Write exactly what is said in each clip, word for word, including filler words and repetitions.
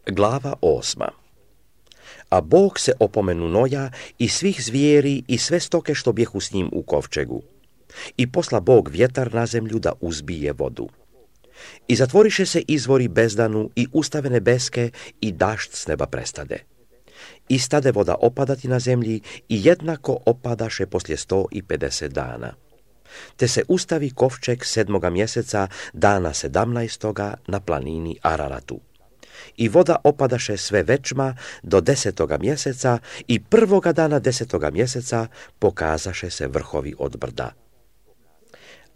Glava osma. A Bog se opomenu Noja i svih zvijeri i sve stoke što bjehu s njim u kovčegu. I posla Bog vjetar na zemlju da uzbije vodu. I zatvoriše se izvori bezdanu i ustave nebeske i dašt s neba prestade. I stade voda opadati na zemlji i jednako opadaše poslije sto i pedeset dana. Te se ustavi kovčeg sedmoga mjeseca dana sedamnaestoga na planini Araratu. I voda opadaše sve večma do desetoga mjeseca i prvoga dana desetoga mjeseca pokazaše se vrhovi od brda.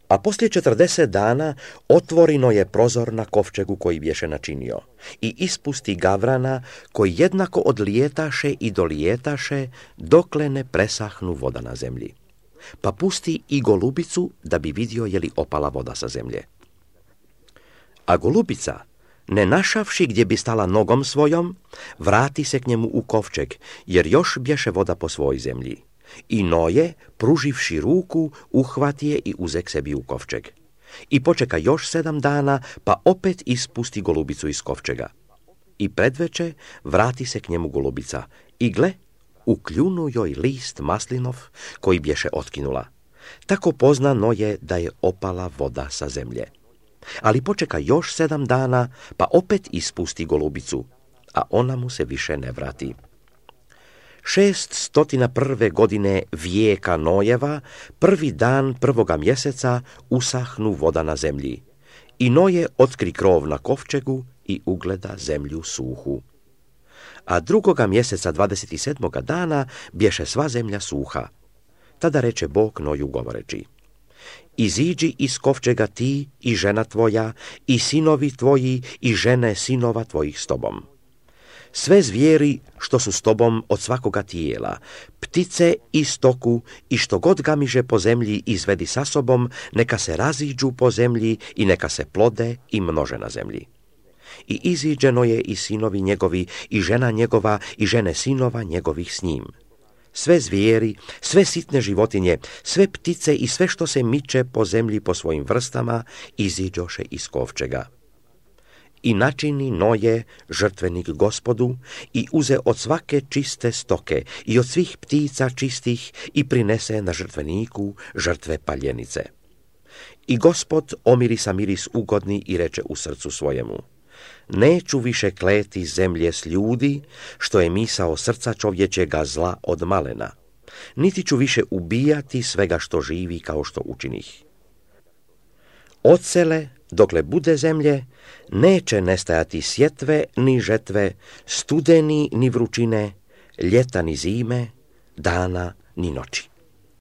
A poslije četrdeset dana otvorino je prozor na kovčegu koji bješe načinio i ispusti gavrana koji jednako odlijetaše i dolijetaše dokle ne presahnu voda na zemlji. Pa pusti i golubicu da bi vidio je li opala voda sa zemlje. A golubica, ne našavši gdje bi stala nogom svojom, vrati se k njemu u kovčeg, jer još bješe voda po svoj zemlji. I Noje, pruživši ruku, uhvati je i uzek sebi u kovčeg. I počeka još sedam dana, pa opet ispusti golubicu iz kovčega. I predveče vrati se k njemu golubica. I gle, ukljunu joj list maslinov koji bješe otkinula. Tako pozna Noje da je opala voda sa zemlje. Ali počeka još sedam dana, pa opet ispusti golubicu, a ona mu se više ne vrati. Šest stotina prve godine vijeka Nojeva, prvi dan prvoga mjeseca usahnu voda na zemlji. I Noje otkri krov na kovčegu i ugleda zemlju suhu. A drugoga mjeseca dvadeset sedmoga dana bješe sva zemlja suha. Tada reče Bog Noju govoreći: Iziđi iz kovčega ti i žena tvoja, i sinovi tvoji i žene sinova tvojih s tobom. Sve zvijeri što su s tobom od svakoga tijela, ptice i stoku i što god gamiže po zemlji izvedi sa sobom, neka se raziđu po zemlji i neka se plode i množe na zemlji. I iziđeno je i sinovi njegovi i žena njegova i žene sinova njegovih s njim. Sve zvijeri, sve sitne životinje, sve ptice i sve što se miče po zemlji po svojim vrstama iziđoše iz kovčega. I načini Noje žrtvenik Gospodu i uze od svake čiste stoke i od svih ptica čistih i prinese na žrtveniku žrtve paljenice. I Gospod omirisa miris ugodni i reče u srcu svojemu: Neću više kleti zemlje s ljudi, što je misao srca čovječega zla od malena, niti ću više ubijati svega što živi kao što učinih. Odsele, dokle bude zemlje, neće nestajati sjetve ni žetve, studeni ni vrućine, ljeta ni zime, dana ni noći.